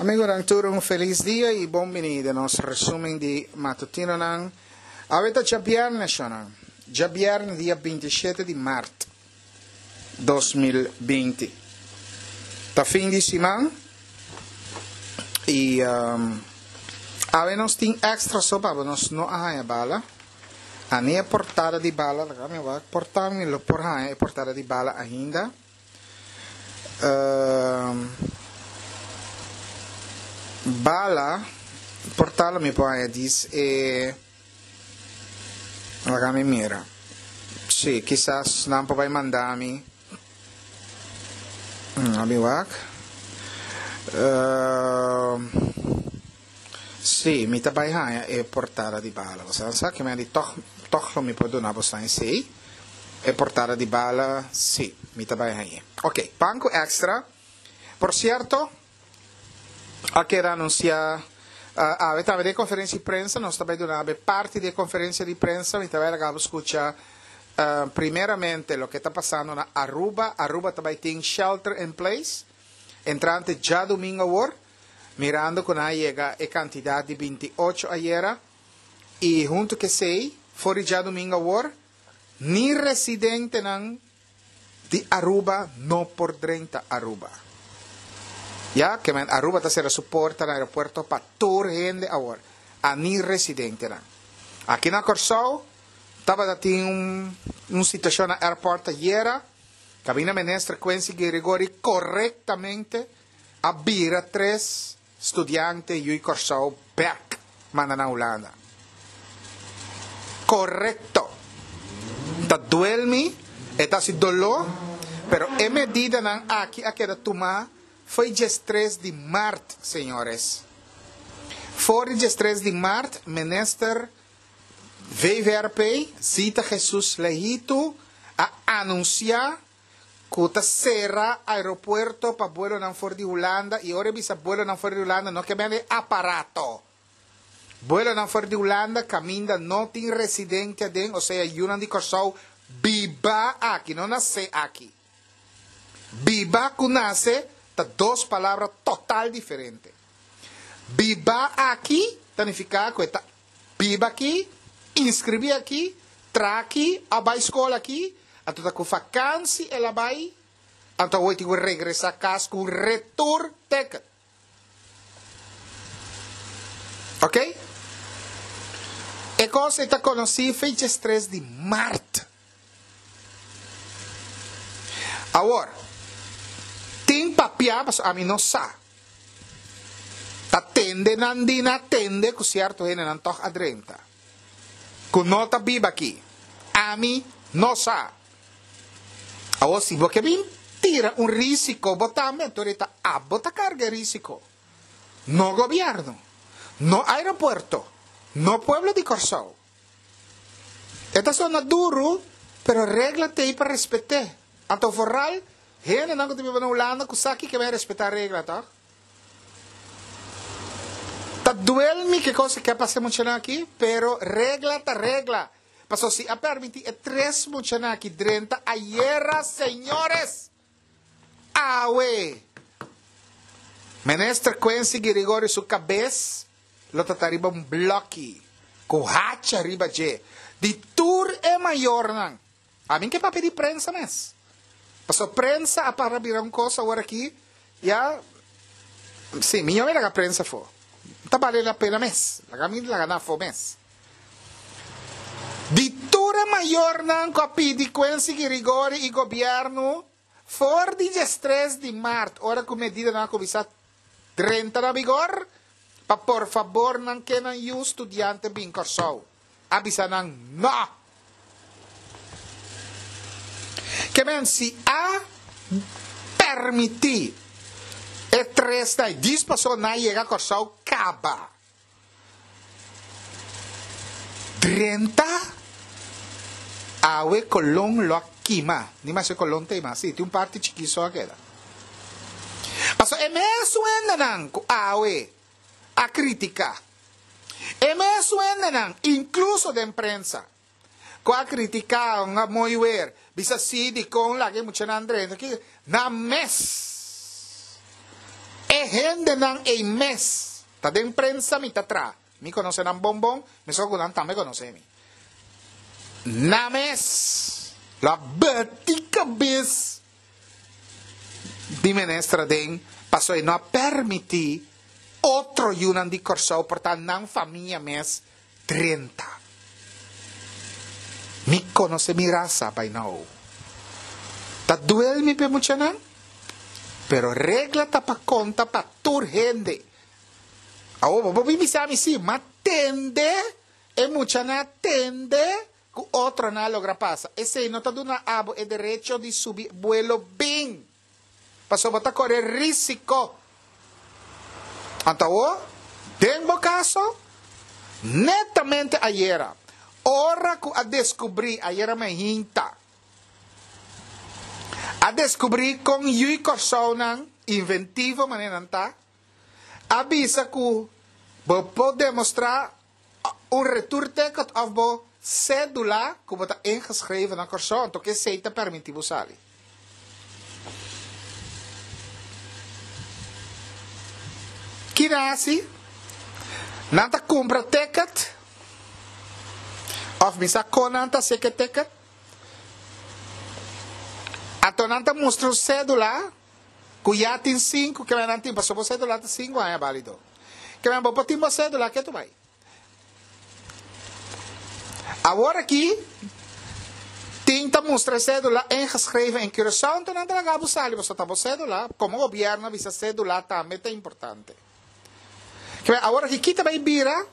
Amigonan tur un felis dia y bon bini den nos resumen di matutinonan. Awe ta djabierne shonan, djabierne dia 27 di maart 2020. Ta fin di siman y awe nos tin extra so pabo nos no a haya bala. Ani e portada di bala, laga mi wak, por ta mi lo por haya e portada di bala ainda. Bala, por ta lo mi por haña dis e, laga mi mira. Sí, kisas nan por bai manda mi. A mi wak. Sí, mi ta bai haña e portada di bala. Boso nan sa ke mi a di tòg, tòg lo mi por duna boso esei. E portada di bala, sí, mi ta bai hañ'é. Oké, pan ku èkstra. Por sierto, a keda anunsiá awe tambe den konferensia di prensa. Nos ta bai duna awe parti di e konferensia di prensa. Mi ta bai laga bo skucha primeramente loke ta pasando na Aruba. Aruba ta bai tin shelter in place entrante djadumingu awor. Mirando ku nan a yega e kantidat di 28 ayera i huntu ku esei for di djadumingu awor ni residentenan di Aruba no por drenta Aruba. Ya ke men Aruba ta sera su porta na aeropuerto pa tur hende awor, a ni residentenan. Aki na Kòrsou tabata tin un situashon na airport ayera, kaminda minister Quincy Girigorie korektamente a bira tres studiante yui Kòrsou bèk manda na Hulanda. Korekto. Ta duel mi, e ta hasi doló, pero e medidanan aki a keda tumá fo'i diestres di mart, señores. For di diestres di mart, Minister VVRP, Zita Jesus Lehitu, a anunsiá ku ta sera aeropuerto pa buelonan for di Hulanda i ora e bisa buelonan for di Hulanda no ke bende aparato. Buelonan for di Hulanda kaminda no tin residente aden, osea yunan di Kòrsou biba aki, no nase aki. Biba ku nase ta dos palabra total diferente. Biba aki ta nifiká ku e ta Biba aki, inskribí aki, traha aki, a bai skol aki, anto ta ku fakansi el a bai, anto awor e tin ku regresá kas ku un retur ticket. Ok? E kos ei ta konosí fecha tres di mart. Awor, tin papiá, pasobra ami no sa. Ta tende nan di na tende ku sierto hendenan tòg a drenta, ku no ta biba aki. Ami no sa. Awor, si bo ke bin tira un risiko bo tambe, anto rei ta abo ta karga e risiko, no gobièrnu, no aeropuerto, no pueblo di Kòrsou. E ta sona duru, pero regla t'ei pa respet'é. Anto vooral hendenan ku ta biba na Hulanda ku sa kiko bai respetá regla, tòg? Ta duel mi ke kos ke a pasa e muchanan aki, pero regla ta regla. Pasobra si a permití e tres muchanan aki drenta ayera, señores! Awe! Minister Quincy Girigorie su kabes lo ta ta riba un blòki ku hacha riba dje di tur e mayornan. Ami ke papia di prensa mes. Pasobra prensa a para bira un kos awor aki ya si mi no laga prensa afó. No ta bale la pena mes. Laga mi laga nan afó mes. Di tur e mayornan ku a pidi Quincy Girigorie i gobièrnu For di diestres di mart, ora ku medidanan a kuminsá drenta na vigor, pa por fabor nan ke nan yu studiante bin Kòrsou, a bisa nan nò. Ke men si a permití e tresnan i dis paso nan a yega Kòrsou kaba. Drenta awe Colon lo a kima. Ni mas e Colon ta ima. Si, tin un parti chikí so a keda. Pasobra e mesun hendenan ku awe a kritiká, e mesun hendenan, inkluso den prensa, ku a kritiká un a mooi weer, bisa si dikon laga e muchanan drenta, nan mes. E hendenan ei mes ta den prensa mi ta traha. Mi konosé nan bon bon, meskos ku nan tambe konosé mi. Nan mes lo a bati kabes di minister aden pasobra e no a permití otro yunan di Kòrsou por ta nan famia mes drenta. Mi konosé mi rasa by now. Ta duel mi p'e muchanan, pero regla ta pa konta pa tur hende. Awor bo por bin bisa mi si, ma tende e muchanan a tende ku otronan a logra pasa. Esei no ta duna abo e derecho di subi buelo bin. Pasobra bo ta kore risiko. Anto awor, den bo kaso, netamente ayera, ora ku a deskubrí, ayera mainta, a deskubrí kon yui Kòrsounan, inventivo manera nan ta, a bisa ku bo por demostrá un retourticket òf bo sédula ku bo ta ingeschreven na Kòrsou, anto ku esei ta permití bo sali. Ki nan hasi? Nan ta kumpra ticket òf mi sa kon nan ta hasi ku e ticket. Anto nan ta mustra un sédula ku ya tin sinku ke nan tin pasobra bo sédula ta sinku aña bálido. Ke men bo por tin bo sédula ke tu bai. Awor aki tin ta mustra e cédula ingeschreven in Curaçao, enton nan ta laga bo sali pasobra ta bo cédula, como gobierno a bisa cédula tambe ta importante. Kibè awor aki kita bay bira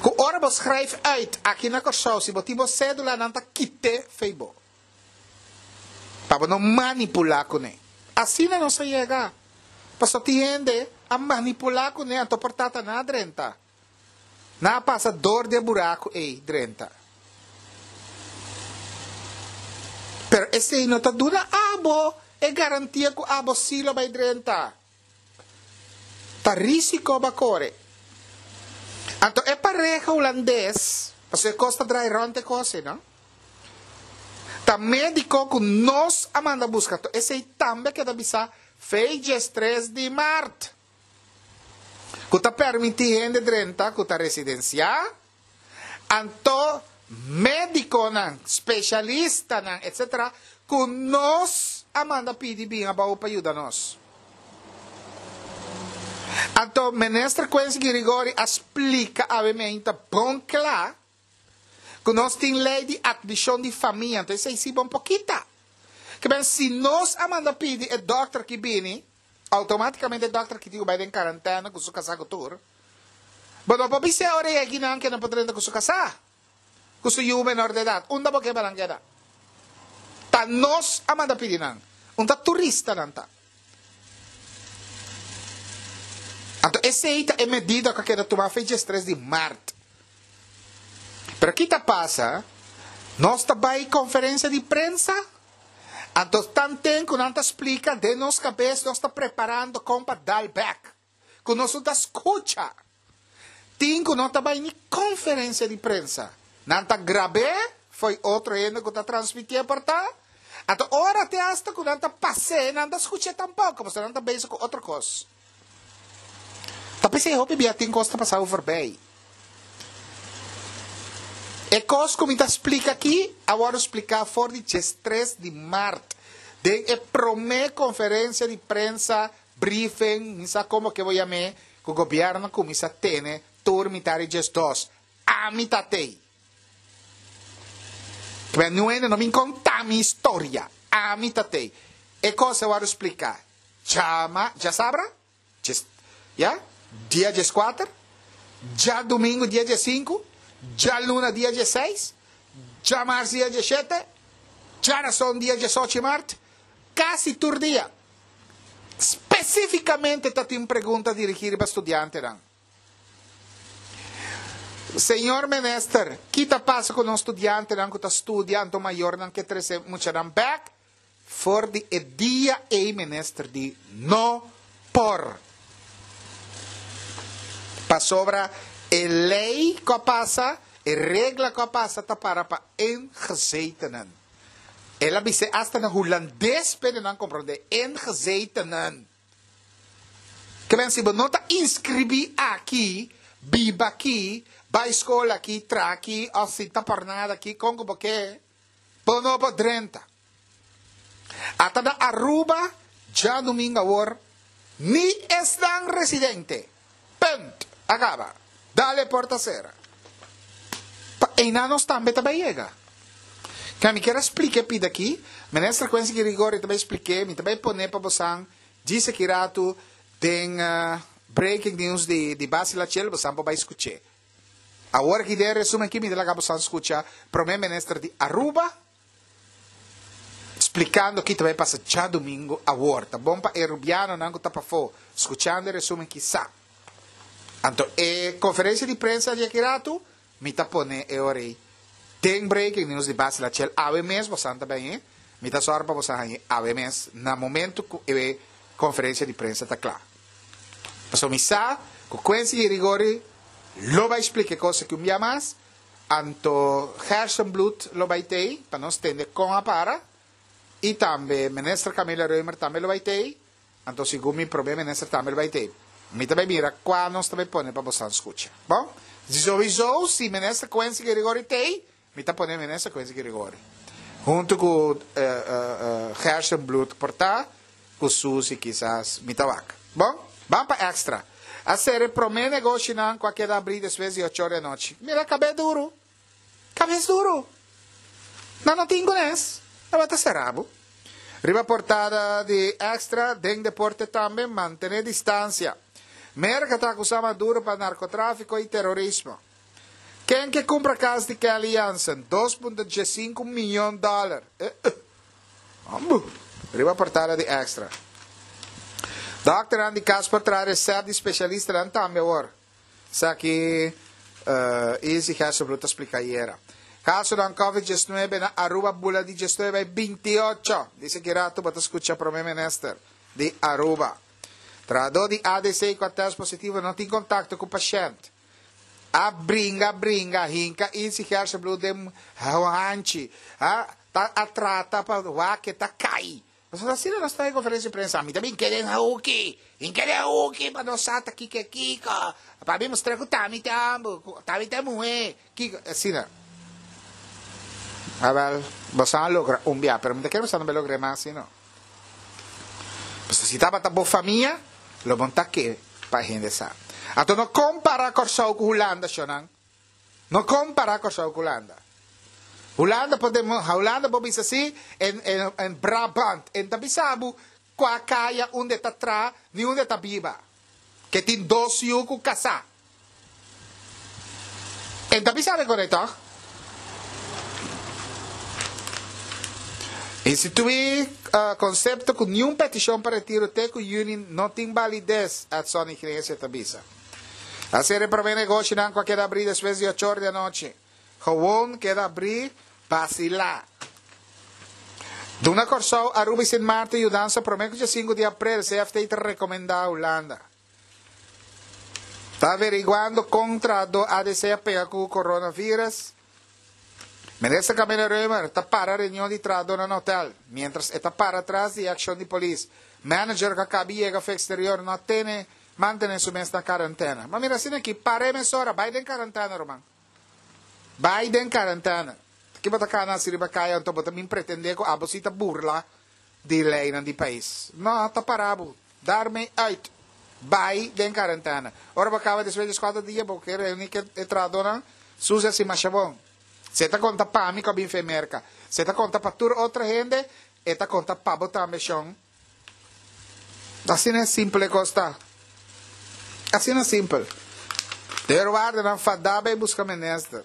cu ora bo schrijf uit aki na Curaçao si bo tin bo cédula nan ta kite fey bo. Pa bo no manipula cune. Asina nos a yega. Pasobra tin hende a manipula cune anto por tata nan a drenta. Nan a pasa dor di e buraku ei drenta. Pero esei no ta duna abo e garantia ku abo sí lo bai drenta. Ta risiko bo a kore. Anto e pareha hulandes, pasobra e kos ta drai rònt e kos ei, no? Ta médiko ku nos a manda buska. Anto esei tambe a keda bisá fei diestres di mart. Ku ta permití hende drenta ku ta residensiá, anto médikonan, spesialistanan, etsetera, ku nos a manda pidi bin abou pa yuda nos. Anto Minister Quincy Girigorie a splika awe meinta bon kla ku nos tin lei di atmishon di famia, anto esei si bon pokita. Ke men si nos a manda pidi e dòkter ki bini, Automaticamente e dokter ki tin ku bai den karantena ku su kasá ku tur. Bo no por bis'é ora e yegi nan ke no por drenta ku su kasá, ku su yu menor de edat. Unda bo ke pa nan keda? Ta nos a manda pidi nan. Un ta turista nan ta. Anto esei ta e medida ku a keda tuma fecha 3 di mart. Pero ki ta pasa? Nos ta bai konferensia di prensa? Anto tanten ku nan ta splika den nos kabes nos ta preparando kon pa dal bek. Ku nos no ta skucha. Tin ku no ta bai ni konferensia di prensa. Nan ta grab'é fo'i otro hende ku ta transmitié por ta. Anto ora te asta ku nan ta pas'é nan ta skuch'é tampoko pasobra nan ta bezig ku otro kos. Ta p'esei hopi bia tin kos ta pasa overbij. E kos ku mi ta splika aki a wòrdu spliká for di diestres di mart den e promé konferensia di prensa, briefing, mi sa komo ke bo yam'é, ku gobièrnu a kuminsá tene tur mitar di diesdos. Ami ta tei. Kibè niun hende no bin konta mi historia. Ami ta tei. E kos a wòrdu spliká. Djama, djasabra, djes, ya, dia djeskuater, djadumingu dia djesinku, djaluna dia djeseis, djamars dia djeshete, djarason dia djesochi mart, kasi tur dia. Spesifikamente ta tin pregunta dirigí riba studiantenan. Señor Minister, ki ta pasa ku nos studiantenan ku ta studia anto mayornan ke trese muchanan bèk? For di e dia ei minister di no por. Pasobra e lei ku a pasa, e regla ku a pasa ta para pa ingezetenen. El a bis'é asta na hulandes p'e nan komprondé, ingezetenen. Ke men si bo no ta inskribí aki, biba aki, bai skol aki, traha aki òf sinta por nada aki, kon ku bo ke, bo no por drenta. Ata na Aruba djadumingu awor ni esnan residente. Punt! A kaba. Dale porta sera. Pa einan nos tambe ta bai yega. Ke mi kier a splika e pida aki, Minister Quincy Girigorie ta bai splik'é, mi ta bai pone pa bosan djis aki ratu den breaking news di di Basi Lachel, bosan por bai skuch'é. Awor aki den e resumen aki mi ta laga bosan skucha Prome Minister di Aruba, Splikando ki ta bai pasa djadumingu awor. Ta bon pa e rubianonan ku ta pafó skuchando e resumen kisá. Anto e konferensia di prensa di aki ratu mi ta pone e ora ei den breaking news di Basi Lachel awe mes bosan ta bai hañ'é. Mi ta sòru pa bosan hañ'é awe mes na momento ku e konferensia di prensa ta kla. Pasobra mi sa ku Quincy Girigorie lo bai splika e kos aki un bia mas. Anto Gerstenbluth lo bai tei pa nos tende kon a para y tambe Minister Camilla Römer tambe lo bai tei, anto segun mi Prome Minister tambe lo bai tei. Mi ta bai mira cua nos ta bai pone pa bosan scucha. Bon, sowieso si Minister Quincy Girigorie tei, mi ta pone Minister Quincy Girigorie hunto cu Gerstenbluth por ta cu Suzy kisas mi ta wak. Bon, ban pa extra. A sera e prome negoshinan cu a keda abri despues di ocho or di anochi. Mira cabe duru. Cabes duru. Nan no tin cunes. Tabata sera bo. Riba portada di extra, den deporte tambe, mantene distancia. Merca ta acusa Maduro pa narcotrafico y terorismo. Ken ke cumpra cas di Kelly Jansen? 2.5 miyon dollar. Eh, eh. Ambu! Riba portada di Extra. Dokternan di kas por traha recept di specialistanan tambe awor. Esaki Izzy Hesselbloed ta splica ayera. Casonan Covid 19 na Aruba bula di 19 bai 28. Dice ki rato bo ta scucha Prome Minister di Aruba. Trahador di ADC cu a test positivo no tin contacto cu pashent. A bringa bringa hinka Izzy Hesselbloed den hanchi. A Ta a trata pa wak e ta kai. Pasobra asina nos ta den conferencia di prensa. Mi ta bin kere den hoeki. Bin kere den hoeki pa nos sa ta kiko e kiko. Pa mi mustra ku ta mi ta homber, ku ta mi ta muhe. Kiko, asina. Awel, boso a logra un bia, pero mi ta kere boso no bai logra e mas asina. Pasobra si tabata bo famia, lo bo no ta ke pa hende sa. Anto no compara Kòrsou ku Hulanda, shonnan. No compara Kòrsou ku Hulanda. Hulanda por demo, Hulanda por bisa si en en en Brabant en ta bisa bo kua kaya unda e ta traha ni unda e ta biba. Ke tin dos yu ku kasá. En ta bisa bo kore tòg? Instituí konsepto ku niun petishon pa retiro te ku yüni no tin balides, Edson Iglesia ta bisa. A sera e promé negoshinan ku a keda abrí despues di ocho or di anochi. Gewon keda abrí basilá. Duna Kòrsou, Aruba i Sint Maarten yudansa promé ku djesinku di aprel, CFT ta rekomendá Hulanda. Ta averiguando kon trahadó ADC a pega ku coronavirus. Minister Camilla Römer ta para reunion di trahadónan na hotel, miéntras e ta para tras di e akshon di polis. Manager ku a kabi yega for eksterior no a tene Mantene su mes na karantena. Ma mira asina aki, para e mesora, bai den karantena ruman. Bai den karantena. Ki bo ta kana hasi riba kaya anto bo ta bin pretende ku abo si ta burla di leinan di pais. No, ta para bo. Daarmee uit. Bai den karantena. Ora bo kaba despues di eskuater dia bo ke reuni ku e trahadónan, susi hasi masha bon. Si e ta konta pa mi ku a bin fe Merka, si e ta konta pa tur otro hende, e ta konta pa bo tambe shon. Asina e simpel e kos ta. Asina simpel. Deurwaardernan fadá bai buska minister.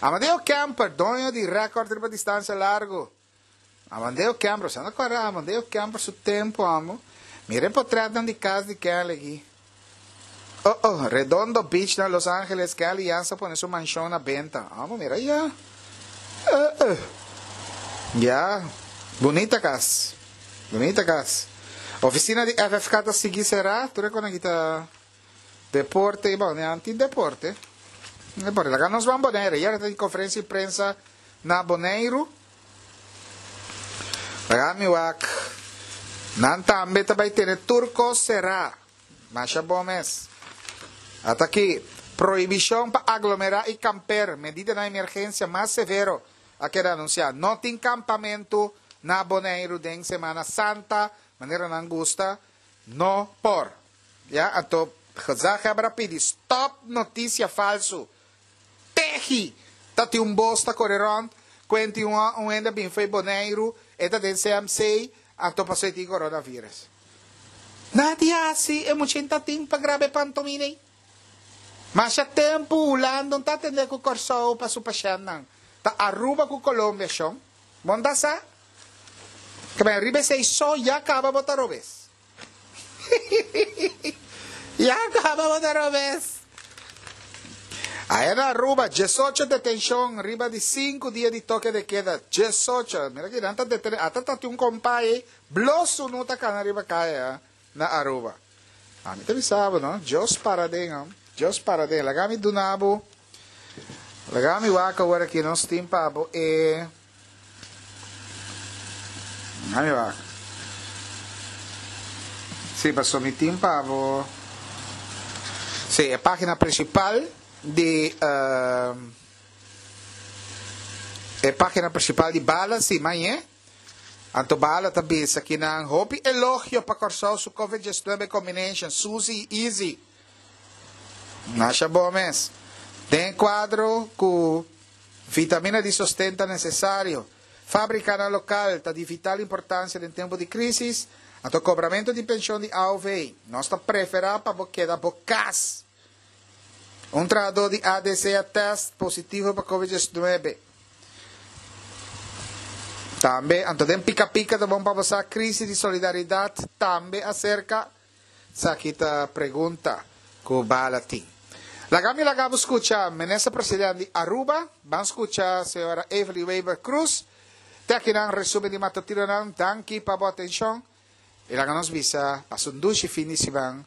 Amadeo Kemper, doño di rèkòrt riba distansia largu. Amadeo Kemper, sa no kòrda Amadeo Kemper su tempu amo. Mira e potrètnan di kas di Kelly aki. Oh oh, Redondo Beach na Los Angeles, Kelly Jansen a pone su manshon na benta. Amo mira ya. Eh eh. Ya, bunita kas. Bunita kas. Oficina di FFK ta sigui será, tur e kona kita deporte i bon, nan tin deporte. Deporte. Laga nos ban Bonaire. Yera ta tin conferencia di prensa na Boneiru. Laga mi wak. Nan tambe ta bai tene tur kos será. Masha bon mes. Ata aki, prohibishon pa aglomerá i kamper, medidanan emergensia mas severo a keda anunsiá. No tin kampamentu na Boneiru den Semana Santa, manera nan gusta, no por. Ya, anto gezaghebber a pidi stòp notisia falsu. Tehi! Ta tin un bos ta kore rònt, kuen tin un un hende a bin fo'i Boneiru, e ta den CMC, anto paso e tin coronavirus. Nadie hasi e mucha ta tin pa graba e pantomina ei. Masha tempu Hulanda no ta atendé ku Kòrsou pa su pashèntnan. Ta Aruba ku Colombia shon. Bo no ta sa? Kebè riba esei so ya kaba bo ta robes. Ya kaba bo ta robes. Aya na Aruba, diesocho detenshon riba di sinku dia di toke de keda. Diesocho. Mira ki nan ta detene. Ata ta tin un kompai ei blo sunu ta kana riba kaya na Aruba. Ami ta bisa bo no, Dios para den ho. Dios para den. Laga mi duna bo, laga mi wak awor aki nos tin pa bo e. Ami wak. Sí, paso mi tin pa bo. Sí, e página principal di uh, e página principal di Bala, sí, mañe. Anto Bala ta bisa ki nan hopi elogio pa Kòrsou su Covid-19 combination, Suzy i Easy. Masha bo mes. Den kuadro ku Vitamina di sosten ta nesesario. Fabrikanan lokal ta di vital importansia den tempu di krísis, anto kobramentu di penshon di aov. Nos ta preferá pa bo keda bo kas. Un trahadó di ADC a tèst positivo pa Covid diesnuebe. Tambe, anto den pika pika ta bon pa bo sa krísis di solidaridat tambe aserka. Esaki ta pregunta cu Bala tin. Laga mi laga bo scucha Minister President di Aruba, ban scucha Señora Evelyn Wever Croes. Te akinan resumen di matutinonan, danki pa bo atencion y laga nos bisa pasa un dushi fin di siman.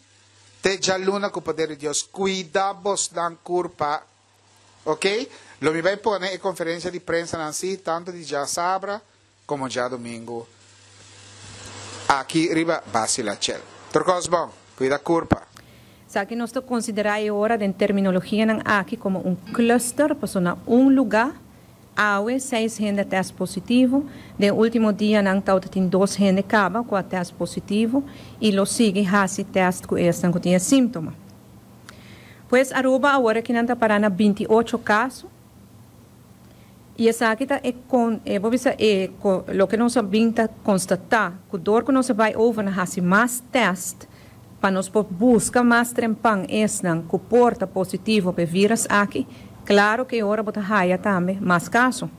Te djaluna cu poder di Dios cuida bosnan curpa ok. Lo mi bay pone e conferencia di prensanan si tanto di djasabra Como djadomingo aki riba Basila Chel. Tur cos bon. Cuida curpa. Esaki nos ta konsiderá e ora den terminologianan aki komo un cluster, pasobra na un lugá awe seis hende a tèst positivo, den último dianan tabata tin dos hende kaba ku a tèst positivo i lo sigui hasi tèst ku esnan ku tin e síntoma. Pues Aruba awor akinan ta pará na binti ocho kaso. I esaki ta e kon, e bo bisa e ko, loke nos a bin ta konstatá, ku dor ku nos a bai over na hasi mas tèst pa nos por buska mas trempan esnan ku por ta positivo pa e vírus aki, klaro ku e ora bo ta haya tambe mas kaso.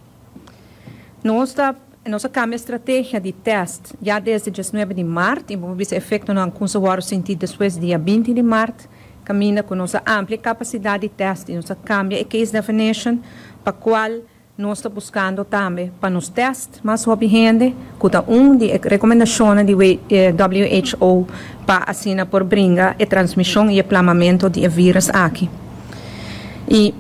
Nos ta, nos a kambia strategia di tèst ya desde diesnuebe di mart i bo por bisa efektonan ku nos a wòrdu sinti despues dia binti di mart. Kaminda ku nos a amplia e kapasidat di tèst i nos a kambia e case definition pa kual nos ta buskando tambe pa nos tèst mas hopi hende, ku ta un di e rekomendashonnan di WHO pa asina por bringa e transmishon i e plamamentu di e vírus aki. I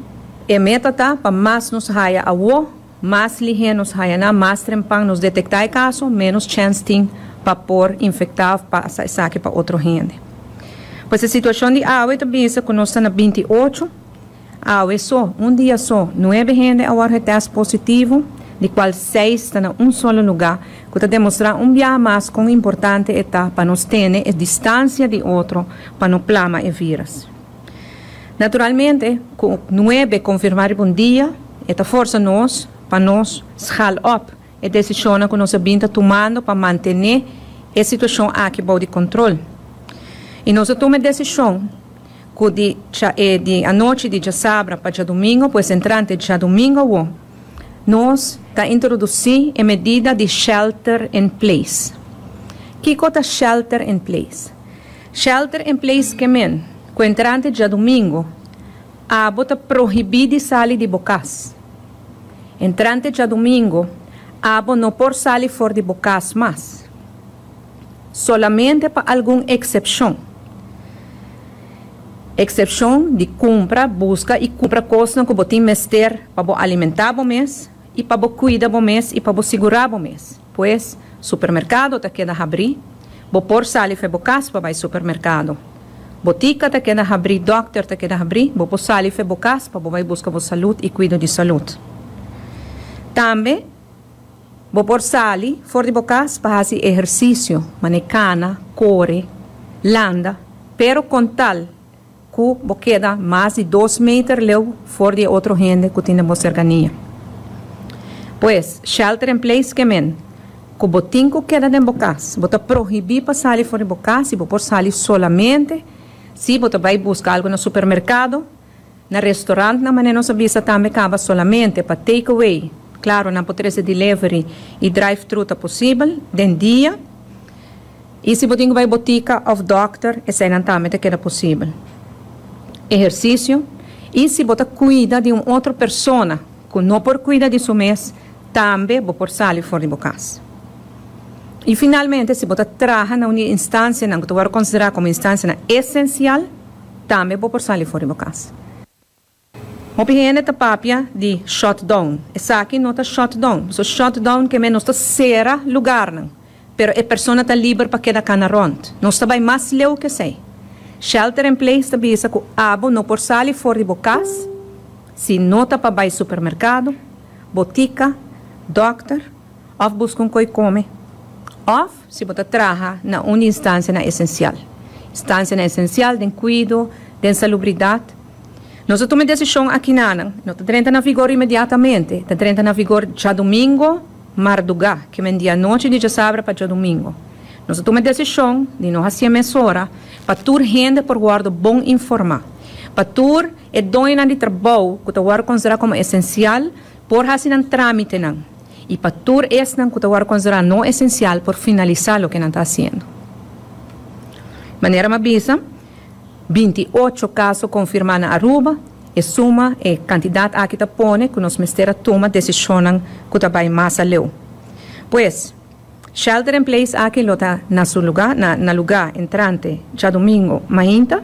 e meta ta pa mas nos haya awo, mas lihé nos haya nan, mas trempan nos detektá e kaso, ménos chèns tin pa por infektá òf pasa esaki pa otro hende. Pues e situashon di awe ta bisa ku nos ta na 28, awe so, un dia so, nuebe hende a wòrdu e tèst positivo, di kual seis ta na un solo lugá, ku ta demostrá un biaha mas kon importante e ta pa nos tene e distansia di otro pa no plama e vírus. Naturalmente, ku nuebe konfirmá riba un dia, e ta forsa nos pa nos schaal op e desishonnan ku nos a bin ta tumando pa mantené e situashon aki bou di kontrol. I nos a tuma e desishon ku di e di anochi di djasabra pa djadumingo, pues entrante djadumingo awo, nos ta introdusí e medida di shelter in place. Kiko ta shelter in place? Shelter in place ke men ku entrante djadumingo abo ta prohibí di sali di bo kas. Entrante djadumingo abo no por sali for di bo kas mas. Solamente pa algun eksepshon. Eksepshon di kumpra, buska i kumpra kosnan ku bo tin mester pa bo alimentá bo mes i pa bo kuida bo mes i pa bo sigurá bo mes. Pues, supermerkado ta keda habrí, bo por sali fe bo kas pa bai supermerkado. Botica ta keda habri, dokter ta keda habri, bo por sali for di bo cas pa bo bay busca bo salud y cuido di salud. Tambe bo por sali for di bo cas pa haci ehercicio, manera cana, core, landa, pero con tal cu bo keda mas di 2 meter leu for di otro hende cu tin bo cercania. Pues, shelter in place kemen, cu bo tin cu keda den bo cas, bo ta prohibi pa sali for di bo cas y bo por sali solamente si bo bay busca algo na supermercado, na restaurant na manera nos a bisa tambe caba, solamente pa take away. Claro, nan por trece delivery y drive-thru ta posibel den dia. Y si bo tin cu bay botica of doctor, esey nan tambe ta keda posibel. Ehercicio. Y si bo ta cuida di un otro persona cu no por cuida di su mes, tambe bo por sali for di bo cas. Y finalmente, si bo ta traha na un instancia cu ta considera como instancia esencial, tambe bo por sali for di bo cas. Hopi hende ta papia di shutdown. Esaki no ta shutdown. So shutdown kemen nos ta sera lugar nan. Pero e persona ta liber pa keda cana rond. Nos ta bay mas leu cu esey. Shelter in place ta bisa cu abo no por sali for di bo cas, si no ta pa bay supermercado, botica, doctor, of busca un coy come. Of si bo ta traha na un instancia na esencial. Instancia na esencial, den cuido, den salubridad. Nos a tuma e decision aki nan, no ta drenta na vigor inmediatamente, ta drenta na vigor diadomingo, marduga, kemen di anochi di diasabra pa diadomingo. Nos a tuma e decision di no haci mesora, pa tur hende por wordo bon informa. Pa tur e doño di trabou, cu ta wordo considera como esencial, por haci nan tramite nan. Y pa tur esnan cu ta wordo considera no esencial, por finalisa loke nan ta haciendo. Manera m'a bisa, 28 caso confirma na Aruba, e suma e cantidad aki ta pone cu nos mester a tuma decision cu ta bay mas aleu. Pues, shelter in place aki lo ta na su lugar, na lugar entrante diadomingo mainta.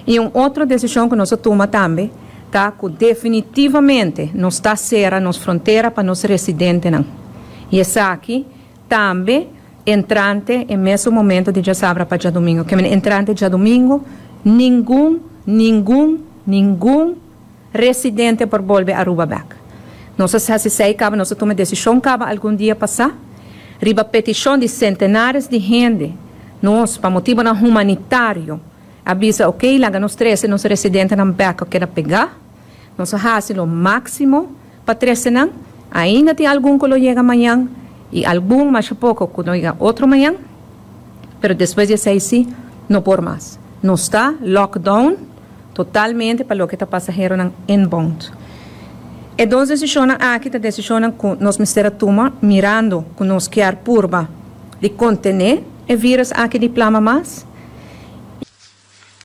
Y un otro decision cu nos a tuma tambe ta cu definitivamente nos ta sera nos frontera pa nos residentenan. Y esaki tambe entrante e mesun momento di diasabra pa diadomingo. Kemen entrante diadomingo, ningun, ningun, ningun residente por bolbe Aruba back. Nos a haci caba, nos a tuma decision caba algun dia pasa, riba peticion di centenares di hende, nos, pa motibo humanitario, a bisa, ok, laga nos trece nos residentenan back, cu a pega, nos a haci lo maximo pa trece nan, ainda tin algun cu lo yega mañan, y algun mas poco cu lo yega otro mañan, pero despues di esey si, no por mas. Nos ta lockdown totalmente pa loke ta pasahero inbound. E dos decision aki ta decision cu nos mester a tuma mirando cu nos kier purba di contene e virus aki di plama mas.